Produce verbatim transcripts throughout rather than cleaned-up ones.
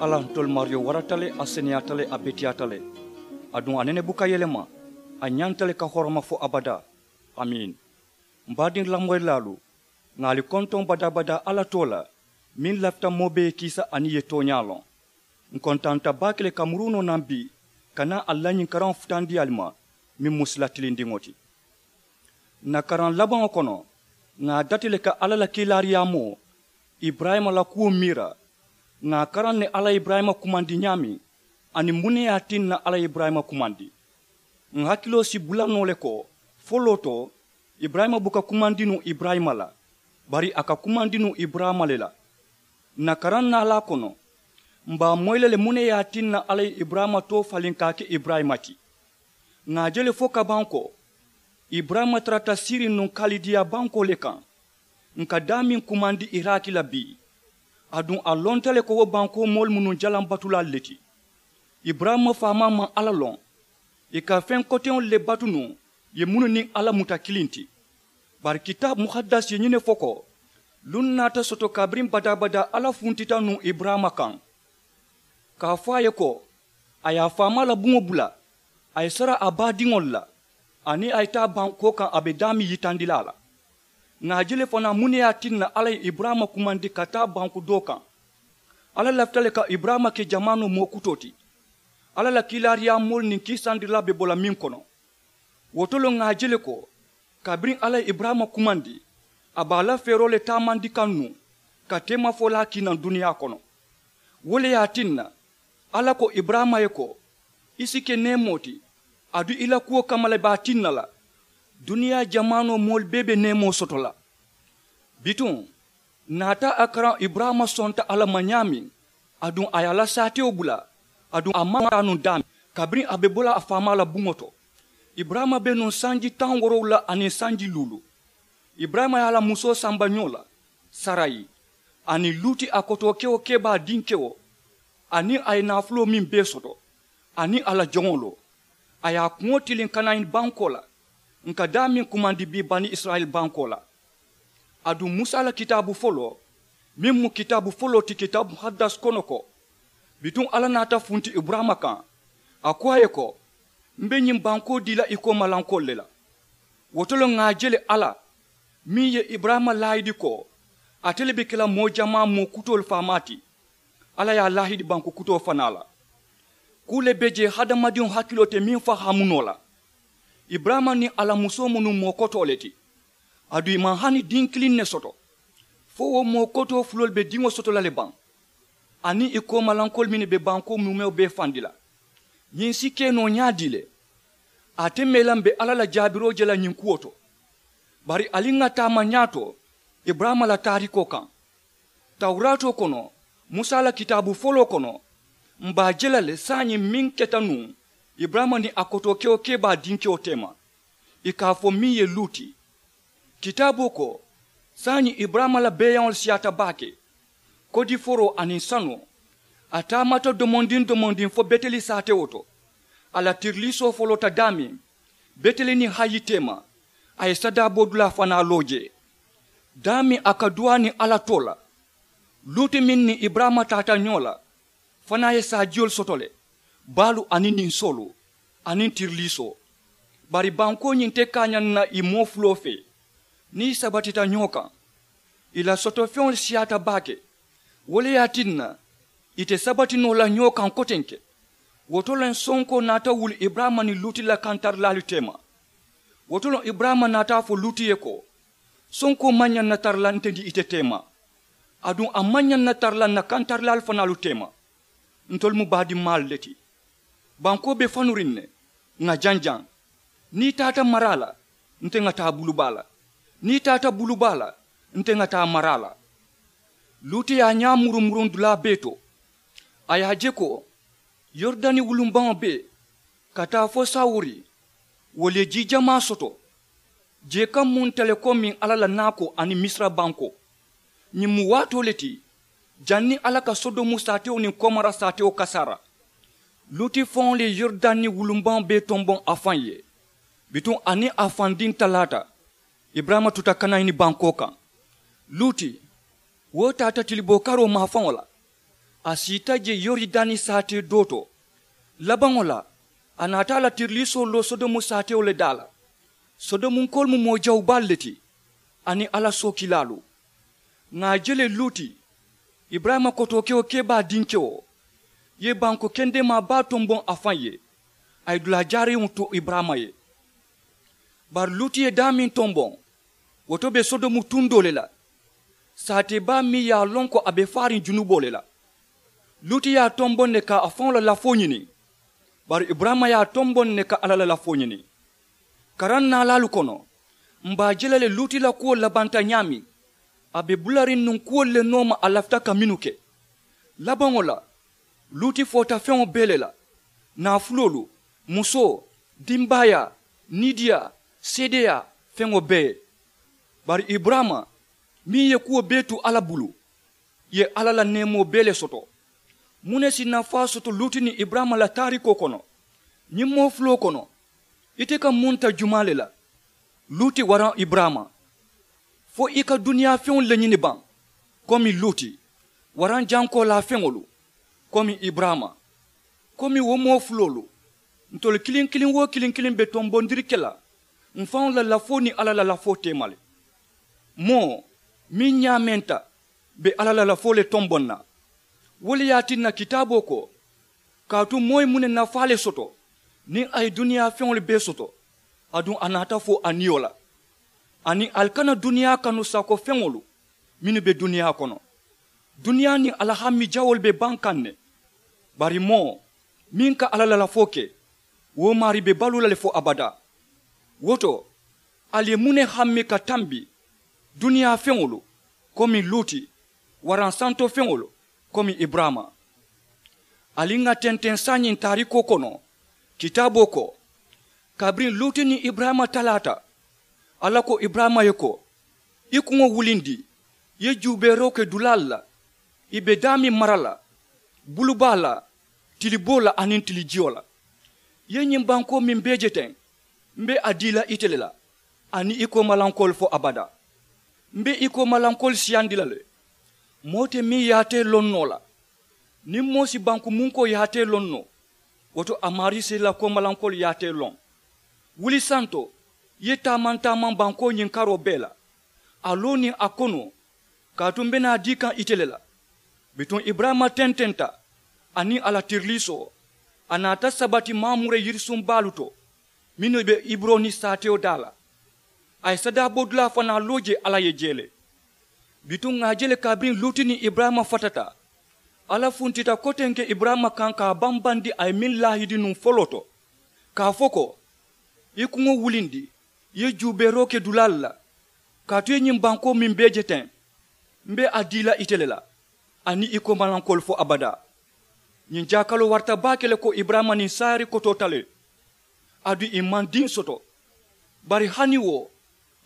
Alla ntolu maariyo warata le, a seneyaata le, a beteyaata le. Aduŋ a nene buka yelema. A ñanta le ka horoma fo abadaa. Amiin. M baadiŋ lamoyilaalu, ŋà ali kontoŋ badaa-badaa alla too la, meŋ lafita moo bee ye kiisa aniŋ ì ye tooñaa loŋ. Ǹ kontaanta baake le ka muruu noo naŋ bii ka naa ali la ñiŋ karaŋo futandi ali ma, meŋ mu sila tilindiŋo ti. Ǹ na karaŋ labaŋo kono, ŋà a dati le ka alla la kiilaariyaamoo iburayima la kuwo miira. Ŋà a karaŋ ne alla ye iburayima kumandi ñaameŋ, aniŋ muŋ ne ye a tinna alla ye iburayima kumandi. Ǹ hakiloo si bula noo le ko, foloo to, iburayima buka kumandi nuŋ iburayima la, bari a ka kumandi nuŋ iburayima le la. Ǹ na karaŋ naalaa kono, m̀ be a moyi la le muŋ ne ye a tinna alla ye iburayima too faliŋ ka a ke iburayima ti. Ŋà a je le fo ka baŋ ko, iburayima tarata siiriŋ nuŋ kalidiya bankoo le kaŋ. Ǹ ka daameŋ kumandi iraki la bii. Aduŋ a lonta le ko wo bankoo moolu mu nuŋ jalaŋ batulaalu le ti. Iburayima faamaa maŋ alla loŋ. Ì ka feŋ koteŋolu le batu nuŋ, ì ye mennu niŋ alla muta kiliŋ ti. Bari kitaabu muhadasi ye ñiŋ ne fo ko, luŋ naata soto kabiriŋ badaa-badaa alla funtita nuŋ iburayima kaŋ, ka a fo a ye ko, a ye a faamaa la buŋo bula, a ye sara a baadiŋolu la, aniŋ a ye taa bankoo kaŋ a be daameŋ yitandi la a la. Ŋà a je le fanaa muŋ ne ye a tinna alla ye iburayima kumandi ka taa banku doo kaŋ. Alla lafita le ka iburayima ke jamaanoo moo kutoo ti. Alla la kiilaariyaamoolu niŋ kiisandirilaa be bo la meŋ kono. Wo to le ŋà a je le ko, kabiriŋ alla ye iburayima kumandi, a be a la feeroo le taamandi kaŋ nuŋ, ka teemafolaa kii naŋ duniyaa kono. Wo le ye a tinna, alla ko iburayima ye ko, i si ke neemoo ti, aduŋ i la kuwo kamma le be a tinna la, duniyaa jamaanoo moolu bee be neemoo soto la. Bituŋ, naata a karaŋ iburayima sonta alla ma ñaameŋ, aduŋ a ye a la saatewo bula, aduŋ a maŋ taa nuŋ daameŋ, kabiriŋ a be bo la a faamaa la buŋo to. Iburayima be nuŋ sanji taŋ woorowula aniŋ sanji luulu. Iburayima ye a la musoo samba ñoo la, sarayi, aniŋ luuti a kotookewo kebaa dinkewo, aniŋ a ye naafuloo meŋ bee soto, aniŋ a la joŋolu, a ye a kuŋo tiliŋ kanaani bankoo la, ǹ ka daameŋ kumandi bii bani isirayila bankoo la. Aduŋ musa la kitaabu foloo, meŋ mu kitaabu foloo ti kitaabu muhadasi kono ko, bituŋ alla naata funti iburayima kaŋ, a ko a ye ko, m be ñiŋ bankoo dii la i koomalankoolu le la. Wo to le ŋà a je le alla, meŋ ye iburayima laayidi ko, ate le be ke la moo jamaa moo kutoolu faamaa ti. Alla ye a laahidi banku kutoo fanaa la. Kuu le be jee hadamadiŋo hakiloo te meŋ fahaamu noo la. Iburayima niŋ a la musoo mu nuŋ moo kotoo le ti. Aduŋ ì maŋ hani diŋ kiliŋ ne soto. Fo wo moo kotoo fuloolu be diŋo soto la le baŋ, aniŋ ì koomalankoolu mennu be bankoo muumewo bee fandi la. Ñiŋ si ke noo ñaadii le? Ate mee la m̀ be alla la jaabiroo je la ñiŋ kuwo to. Bari ali ŋà taama ñaato iburayima la taarikoo kaŋ. Tawuraatoo kono, musa la kitaabu foloo kono, m̀ be a je la le saayiŋ meŋ keta nuŋ iburayima niŋ a kotookewo kebaa dinkewo teema, ì ka a fo meŋ ye luuti. Kitaaboo ko, saayiŋ iburayima la beeyaŋolu siyaata baake, kodiforoo aniŋ sanoo. A taamata domondiŋ domondiŋ fo beteli saatewo to. A la tiriliisoo foloota daameŋ, beteli niŋ hayi teema, a ye sadaaboodulaa fanaa loo jee. Daameŋ a ka duwaa niŋ alla too la. Luuti meŋ niŋ iburayima taata ñoo la, fanaa ye saajiyolu soto le, baalu aniŋ ninsoolu, aniŋ tiriliisoo. Bari bankoo ñiŋ te kaañaŋ na ì moo fuloo fee, niŋ ì sabatita ñoo kaŋ. Ì la sotofeŋolu siyaata baake. Wo le ye a tinna, ì te sabati noo la ñoo kaŋ kotenke. Wo to le sonkoo naata wuli iburayima niŋ luuti la kantarilaalu teema. Wo to le iburayima naata a fo luuti ye ko, sonkoo maŋ ñaŋ na tara la nte niŋ ite teema. Aduŋ a maŋ ñaŋ na tara la ǹ na kantarilaalu fanaalu teema. Ntolu mu baadimmaalu le ti. Bankoo be fanuriŋ ne, ŋà janjaŋ. Niŋ i taata maraa la, nte ŋà taa bulubaa la. Niŋ i taata bulubaa la, nte ŋà taa maraa la. Luuti ye a ñaa murumuruŋ dulaa bee to. A ye a je ko, yoridani wulumbaŋo bee, ka taa fo sawuri, wolu ye jii jamaa soto. Jee ka munta le komiŋ alla la naakoo aniŋ misira bankoo. Ñiŋ mu waatoo le ti, janniŋ alla ka sodomu saatewo niŋ komora saatewo kasaara. Luuti faŋo le ye yoridani wulumbaŋo bee tomboŋ a faŋ ye. Bituŋ a niŋ a faŋ diŋ talaata, iburayima tuta kanayini bankoo kaŋ. Luuti, wo taata tiliboo karoo maafaŋo la. A siita je yoridani saatee doo to. Labaŋo la, a naata a la tiriliisoo loo sodomu saatewo le daa la. Sodomunkoolu mu moo jawu baalu le ti, aniŋ alla sookilaalu. Ŋà a je le luuti, iburayima kotookewo kebaa dinkewo, ye banku kendemaa baa tomboŋ a faŋ ye. A ye dulaa jaariŋo tu iburayima ye. Bari luuti ye daameŋ tomboŋ, wo to be sodomu tundoo le la. Saatee baa meŋ ye a loŋ ko a be faariŋ junuboo le la. Luuti ye a tomboŋ ne ka a faŋo la lafoo ñini. Bari iburayima ye a tomboŋ ne ka alla la lafoo ñini. Karaŋ naalaalu kono, m̀ be a je la le luuti la kuwo labanta ñaameŋ. A be bulariŋ nuŋ kuwolu le nooma a lafita ka mennu ke. Labaŋo la, luuti foota feŋo bee le la, naafuloolu, musoo, dimbaayaa, niidiyaa, seedeyaa, feŋo bee. Bari iburayima, meŋ ye kuwo bee tu alla bulu, ye alla la neemoo bee le soto. Muŋ ne si nafaa soto luuti niŋ iburayima la taarikoo kono? Ñiŋ moo fuloo kono, ite ka muŋ ta jumaa le la? Luuti waraŋ iburayima? Fo i ka duniyaa feŋolu le ñini baŋ? Komi luuti, waraŋ jankoolaa feŋolu, komi iburayima? Komi wo moo fuloolu, ntolu kiliŋ kiliŋ woo kiliŋ kiliŋ be tombondiri ke la m̀ faŋo la lafoo niŋ alla la lafoo teema le. Moo meŋ ñaamenta be alla la lafoo le tomboŋ na. Wo le ye a tinna kitaaboo ko, kaatu moo ye muŋ ne nafaa le soto niŋ a ye duniyaa feŋolu bee soto, aduŋ a naata fo a niyo la? Aniŋ ali kana duniyaa kanu saako feŋolu mennu be duniyaa kono. Duniyaa niŋ a la hammi jawoolu be baŋ kaŋ ne. Bari moo meŋ ka alla la lafoo ke, wo maarii be baluu la le fo abadaa. Wo to, ali ye muŋ ne hammi ka tambi duniyaa feŋolu, komi luuti, waraŋ santo feŋolu, komi iburayima? Ali ŋà tenteŋ saayiŋ taarikoo kono, kitaaboo ko, kabiriŋ luuti niŋ iburayima talaata, alla ko iburayima ye ko, i kuŋo wulindi, i ye juubeeroo ke dulaalu la, i be daameŋ mara la, bulubaa la, tiliboo la aniŋ tilijiyo la. I ye ñiŋ bankoo meŋ bee je teŋ, m̀ be a dii la ite le la, aniŋ i koomalankoolu fo abadaa. M̀ be i koomalankoolu siyandi la le. Moo te meŋ ye a te loŋ noo la. Niŋ moo si banku munkoo ye a te loŋ noo, wo to a maarii si la koomalankoolu ye a te loŋ. Wuli santo, i ye taamaŋ taamaŋ bankoo ñiŋ karoo bee la, a loo niŋ a konoo, kaatu m̀ be naa dii kaŋ ite le la. Bituŋ iburayima tententa, aniŋ a la tiriliisoo, a naata sabati mamure yirisuŋ baalu to, mennu be heburoni saatewo daa la. A ye sadaabodulaa fanaa loo jee alla ye jee le. Bituŋ ŋà a je le kabiriŋ luuti niŋ iburayima fatata, alla funtita kotenke iburayima kaŋ ka a bambandi a ye meŋ laahidi nuŋ foloo to, ka a fo ko, i kuŋo wulindi, i ye juubeeroo ke dulaalu la, kaatu i ye ñiŋ bankoo meŋ bee je teŋ, m̀ be a dii la ite le la, aniŋ i koomalankoolu fo abadaa. Ñiŋ jaakaloo warata baake le ko iburayima niŋ saari kotoota le. Aduŋ i maŋ diŋ soto. Bari hani wo,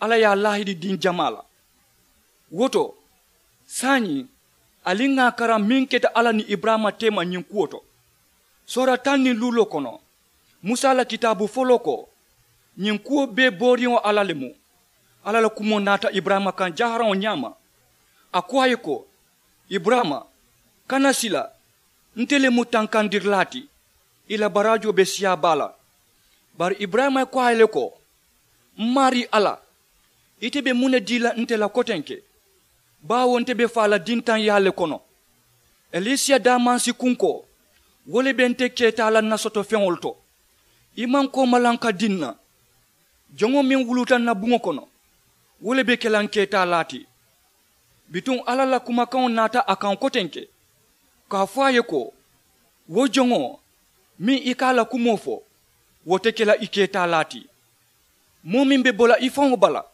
alla ye a laahidi diŋ jamaa la. Wo to, saayiŋ, ali ŋà a karaŋ meŋ keta alla niŋ iburayima teema ñiŋ kuwo to. Soora taŋ niŋ luuloo kono, musa la kitaabu foloo ko, ñiŋ kuwo bee booriŋo alla le mu. Alla la kumoo naata iburayima kaŋ jaharaŋo ñaama. A ko a ye ko, iburayima, kana sila, nte le mu tankandirilaa ti, i la baraajoo be siyaa baa la. Bari iburayima ye ko a ye le ko, m maarii alla, ite be muŋ ne dii la nte la kotenke? Baawo nte be faa la dintaŋyaa le kono. Elisiya daamansi kunkoo, wo le be nte keetaa la n na soto feŋolu to. I maŋ koomalaŋ ka dii n na. Joŋo meŋ wuluuta n na buŋo kono, wo le be ke la n keetaalaa ti. Bituŋ alla la kumakaŋo naata a kaŋ kotenke, ka a fo a ye ko, wo joŋo meŋ i ka a la kumoo fo, wo te ke la i keetaalaa ti. Moo meŋ be bo la i faŋo bala,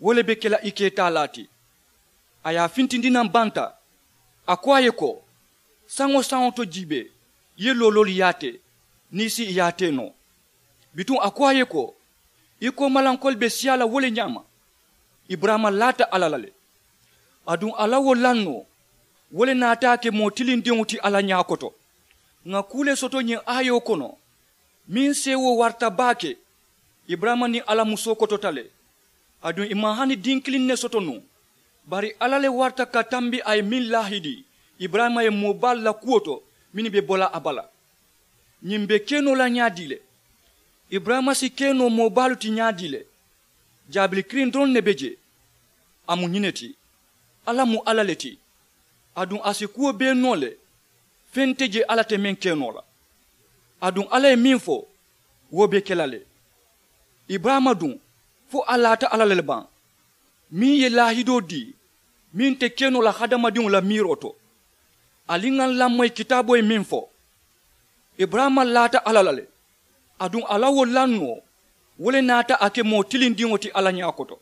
wo le be ke la i keetaalaa ti. A ye a fintindi naŋ banta. A ko a ye ko, saŋo saŋo to jiibee, i ye looloolu yaatee, niŋ i si i yaatee noo. Bituŋ a ko a ye ko, i koomalankoolu be siyaa la wo le ñaama. Iburayima laata alla la le. Aduŋ a la wo lannoo, wo le naata a ke moo tilindiŋo ti alla ñaa koto. Ŋà kuu le soto ñiŋ aayoo kono, meŋ seewoo warata baake. Iburayima niŋ alla musoo kotota le. Aduŋ i maŋ hani diŋ kiliŋ ne soto nuŋ. Bari alla le warata ka tambi a ye meŋ laahidi, Iburayima ye moo baalu la kuwo to mennu be bo la a bala. Ñiŋ be ke noo la ñaadii le? Iburayima si ke noo moo baalu ti ñaadii le? Jaabili kiliŋ doroŋ ne be jee. A mu ñiŋ ne ti, alla mu alla le ti. Aduŋ a si kuwo bee noo le. Feŋ te jee alla te meŋ ke noo la. Aduŋ alla ye meŋ fo, wo be ke la le. Iburayima duŋ, fo a laata alla la le baŋ, meŋ ye laahidoo dii meŋ te ke noo la hadamadiŋo la miiroo to. Ali ŋa n lamoyi kitaaboo ye meŋ fo, iburayima laata alla la le. Aduŋ a la wo lannoo, wo le naata a ke moo tilindiŋo ti alla ñaa koto.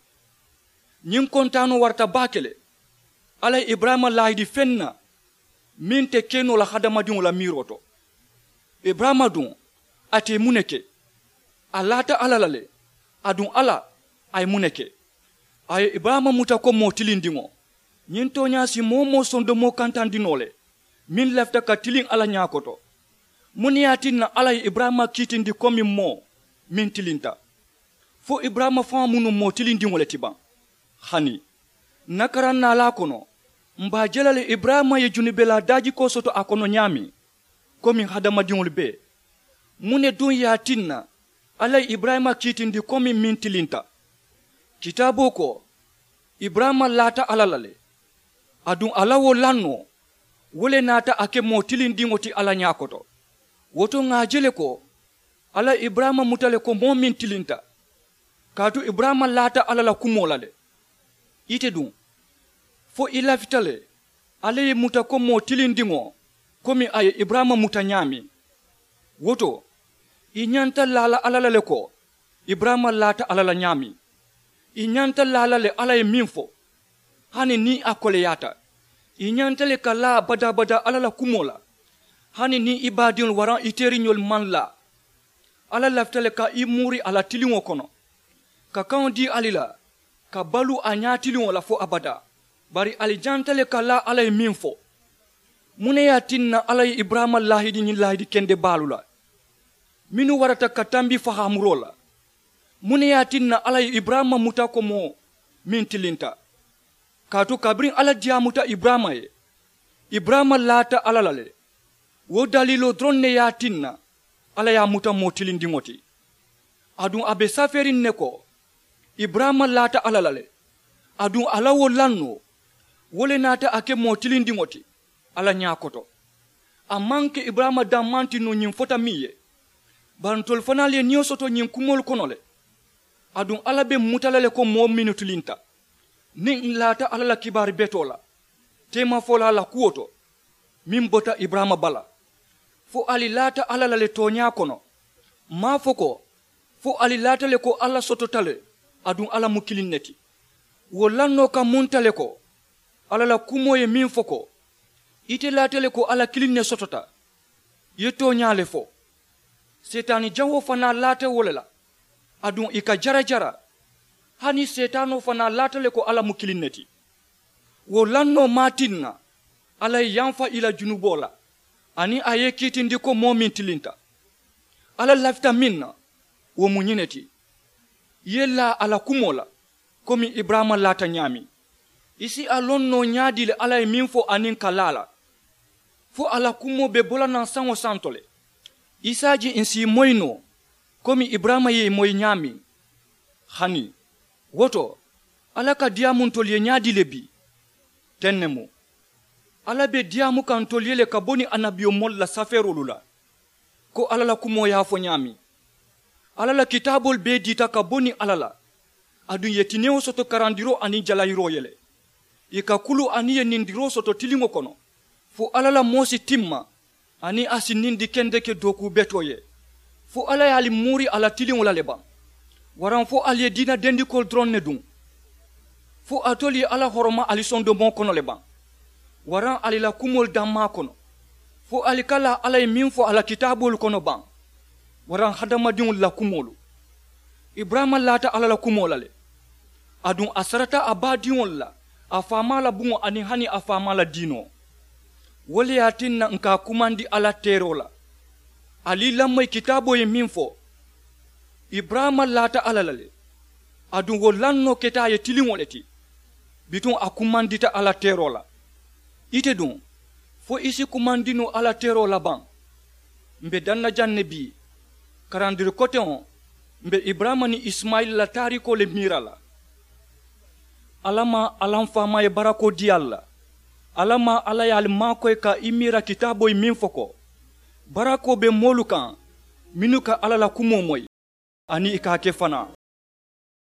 Ñiŋ kontaanoo warata baake le. Alla ye iburayima laahidi feŋ na meŋ te ke noo la hadamadiŋo la miiroo to. Iburayima duŋ, a te muŋ ne ke? A laata alla la le. Aduŋ alla, a ye muŋ ne ke? A ye iburayima muta ko moo tilindiŋo. Ñiŋ tooñaa si moo-wo-moo sondomoo kantandi noo le, meŋ lafita ka tiliŋ alla ñaa koto. Muŋ ne ye a tinna alla ye iburayima kiitindi komiŋ moo meŋ tilinta? Fo iburayima faŋo mu nuŋ moo tilindiŋo le ti baŋ? Hani n na karaŋ naalaa kono, m be a je la le iburayima ye junubelaa daajikoo soto a kono ñaameŋ, komiŋ hadamadiŋolu bee. Muŋ ne duŋ ye a tinna alla ye iburayima kiitindi komiŋ meŋ tilinta? Kitaaboo ko, iburayima laata alla la le. Aduŋ a la wo lannoo, wo le naata a ke moo tilindiŋo ti alla ñaa koto. Wo to ŋà a je le ko, alla ye iburayima muta le ko moo meŋ tilinta. Kaatu iburayima laata alla la kumoo la le. Ite duŋ, fo i lafita le alla ye i muta ko moo tilindiŋo, komi a ye iburayima muta ñaameŋ. Wo to, i ñanta laa la alla la le ko, iburayima laata alla la ñaameŋ. I ñanta laa la le alla ye meŋ fo, hani niŋ a koleyaata. I ñanta le ka laa badaa-badaa alla la kumoo la, hani niŋ i baadiŋolu waraŋ i teeriñolu maŋ laa. Alla lafita le ka i muuri a la tiliŋo kono, ka kaŋo dii ali la, ka baluu a ñaatiliŋo la fo abadaa. Bari ali ñanta le ka laa alla ye meŋ fo. Muŋ ne ye a tinna alla ye iburayima laahidi ñiŋ laahidi kende baalu la, mennu warata ka tambi fahaamuroo la? Muŋ ne ye a tinna alla ye iburayima muta ko moo meŋ tilinta? Kaatu kabiriŋ alla diyaamuta iburayima ye, iburayima laata alla la le. Wo daliiloo doroŋ ne ye a tinna alla ye a muta moo tilindiŋo ti. Aduŋ a be safeeriŋ ne ko, iburayima laata alla la le. Aduŋ a la wo lannoo, wo le naata a ke moo tilindiŋo ti alla ñaa koto. A maŋ ke iburayima dammaŋ ti nuŋ ñiŋ fota meŋ ye, bari ntolu fanaalu ye niyo soto ñiŋ kumoolu kono le. Aduŋ alla be m muta la le ko moo mennu tilinta, niŋ n laata alla la kibaari betoo la, teemafolaa la kuwo to, meŋ bota iburayima bala, fo ali laata alla la le tooñaa kono. M maŋ a fo ko, fo ali laata le ko alla sotota le, aduŋ alla mu kiliŋ ne ti. Wo lannoo ka munta le ko, alla la kumoo ye meŋ fo ko, ite laata le ko alla kiliŋ ne sotota. I ye tooñaa le fo. Seetaani jawoo fanaa laata wo le la, aduŋ ì ka jarajara. Hani seetaanoo fanaa laata le ko alla mu kiliŋ ne ti. Wo lannoo maŋ a tinna alla ye yamfa ì la junuboo la, aniŋ a ye i kiitindi ko moo meŋ tilinta. Alla lafita meŋ na, wo mu ñiŋ ne ti, i ye laa a la kumoo la, komi iburayima laata ñaameŋ. I si a loŋ noo ñaadii le alla ye meŋ fo aniŋ ka laa a la? Fo a la kumoo be bo la naŋ saŋo santo le. I si a je ǹ si i moyi noo, komi iburayima ye i moyi ñaameŋ. Hani wo to, alla ka diyaamu ntolu ye ñaadii le bii? Teŋ ne mu. Alla be diyaamu kaŋ ntolu ye le ka bo niŋ annabiyomoolu la safeeroolu la, ko alla la kumoo ye a fo ñaameŋ. Alla la kitaaboolu bee diita ka bo niŋ alla la, aduŋ ì ye tinewo soto karandiroo aniŋ jalayiroo ye le. Ì ka kulu aniŋ ì ye nindiroo soto tiliŋo kono, fo alla la moo si timma, aniŋ a si nindi kendeke dookuu betoo ye. Fo alla ye ali muuri a la tiliŋo la le baŋ? Waraŋ fo ali ye diina dendikoolu doroŋ ne duŋ? Fo alitolu ye alla horoma ali sondomoo kono le baŋ, waraŋ ali la kumoolu dammaa kono? Fo ali ka laa alla ye meŋ fo a la kitaaboolu kono baŋ, waraŋ hadamadiŋolu la kumoolu? Iburayima laata alla la kumoo la le. Aduŋ a sarata a baadiŋolu la, a faamaa la buŋo aniŋ hani a faamaa la diinoo. Wo le ye a tinna ǹ ka a kumandi alla teeroo la. Ali i lamoyi kitaaboo ye meŋ fo, iburayima laata alla la le, aduŋ wo lannoo keta a ye tiliŋo le ti. Bituŋ a kumandita alla teeroo la. Ite duŋ, Fo i si kumandi noo alla teroo la baŋ? M be daŋ na jaŋ ne bii. Karandiri koteŋo, m be iburayima niŋ isimayila la taariikoo le miira la. Alla maŋ alla m faamaa ye barakoo dii ali la. Alla maŋ alla ye ali maakoyi ka i miira kitaaboyi meŋ fo ko, barakoo be moolu kaŋ mennu ka alla la kumoo moyi, aniŋ i ka a ke fanaa.